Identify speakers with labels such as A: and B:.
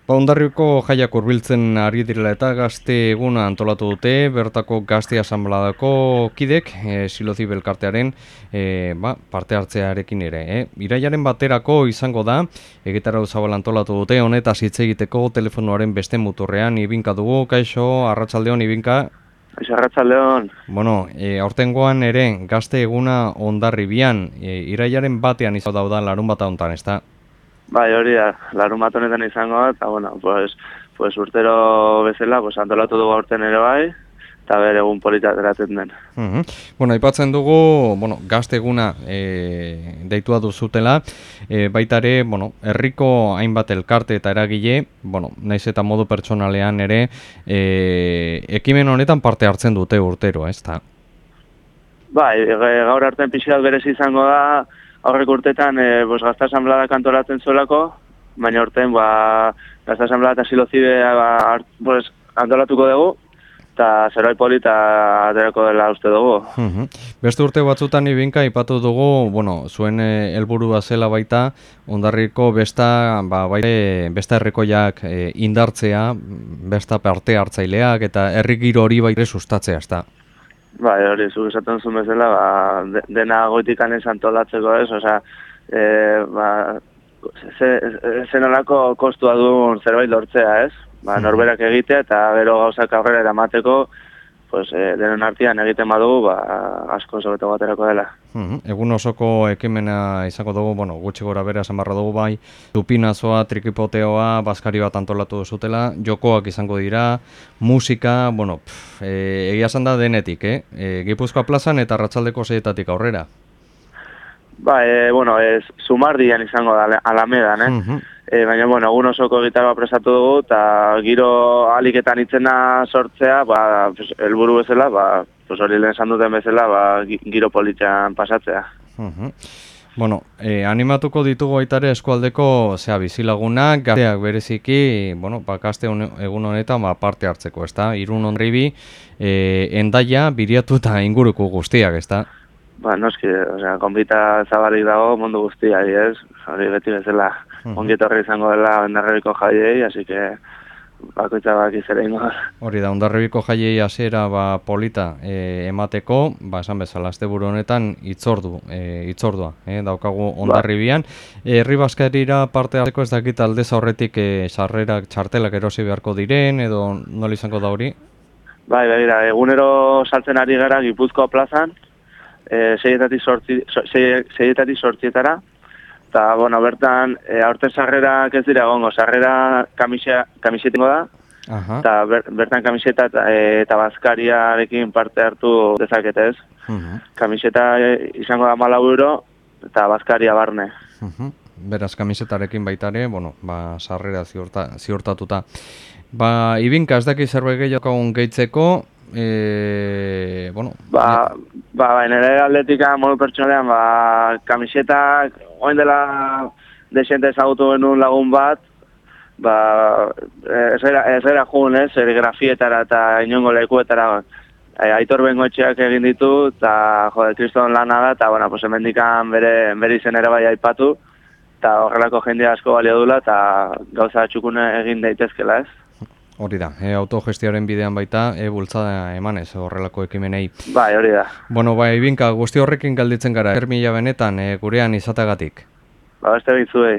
A: Hondarribiko jaiak hurbiltzen ari direla eta gazte eguna antolatu dute, bertako gazte asanbladako kidek, Silozi Elkartearen parte hartzearekin ere. Irailaren baterako izango da, egitarau zabal antolatu dute, honetaz hitz egiteko telefonoaren beste muturrean Ibinka dugu. Kaixo, arratsaldeon Ibinka.
B: Kaixo, arratsaldeon.
A: Bueno, aurtengoan ere gazte eguna Hondarribian, irailaren batean izan dauda larun bat hontan, ezta?
B: Bai, hori da, larunbat honetan izango da, eta bueno, pues urtero bezala, antolatu dugu aurten ere bai, eta bere egun polita ateratzen den.
A: Bueno, aipatzen dugu, gazte eguna deitua duzutela, baita ere, herriko hainbat elkarte eta eragile, naiz eta modu pertsonalean ere, ekimen honetan parte hartzen dute urtero, ezta?
B: Bai, gaur artean pixkat berezi izango da, aurrek urtetan gazte asanbladak antolatzen zuelako, baina urten gazte asanblada eta Silozi antolatuko dugu, eta zeroi polita aterako dela uste dugu.
A: Beste urte batzutan Ibinka aipatu dugu, zuen helburua zela baita, Hondarribiko besta herrikoiak indartzea, besta parte hartzaileak eta herri giro hori baita sustatzea, ezta?
B: Bai, hori, zuk esaten zuen bezala, dena goitik anez antolatzeko ez, zenolako kostua duen zerbait lortzea ez, norberak egitea eta gero gauzak aurrera eramateko, denon artean egiten badugu, asko sobeto baterako dela.
A: Egun osoko ekimena izango dugu, gutxi gora bera esan barra dugu bai, tupinazoa, trikipoteoa, bazkari bat antolatu duzutela, jokoak izango dira, musika, egia esan da denetik, Gipuzkoa plazan eta Arratsaldeko 6etatik aurrera.
B: Zumardian izango da, Alamedan, baina, egun osoko gitarra prestatu dugu, eta giro aliketan itzena sortzea, helburu bezala, hori lehen esan duten bezala, giro politxan pasatzea.
A: Animatuko ditugu aitare eskualdeko bizilagunak, gazteak bereziki, gazte egun honetan parte hartzeko, ezta? Irun Hondarribi, Hendaia, Biriatu eta inguruko guztiak, ezta?
B: Noski, konbita zabalik dago mundu guztiak, ez? Hori beti bezala ongietorri izango dela Hondarribiko jaiei, así que bakoitza bakizera ingo.
A: Hori da, Hondarribiko jaiei hasiera polita emateko, esan bezala, asteburu honetan hitzordua daukagu Hondarribian. Herri bazkarira parte hartzeko ez dakit aldez aurretik sarrerak txartelak erosi beharko diren, edo nola izango da hori?
B: Bai, begira, egunero saltzen ari gara Gipuzkoa plazan, 6etatik 8etara, eta, bertan, aurten sarrerak ez dira egongo, sarrera kamisetingo da, eta bertan kamiseta eta bazkariarekin parte hartu dezakete ez. Kamiseta izango da 4 euro, eta bazkaria barne.
A: Beraz, kamisetarekin baita ere, sarrera ziurtatuta. Ibinka, ez daki zerbait gehiago gehitzeko,
B: nire atletika modu pertsonalean, kamisetak, oin dela desente ezagutu genuen lagun bat, ez gara jun, serigrafietara eta inongo lekuetara, Aitor Bengoetxeak egin ditu, eta kriston lana da, eta hemendikan bere izenera bai aipatu, eta horrelako jende asko balio dula, eta gauza txukune egin daitezkela ez.
A: Hori da, autogestioaren bidean baita, bultzada emanez horrelako ekimenei.
B: Bai, hori da.
A: Ibinka, guzti horrekin galditzen gara, mila benetan gurean izatagatik.
B: Beste bitzuei.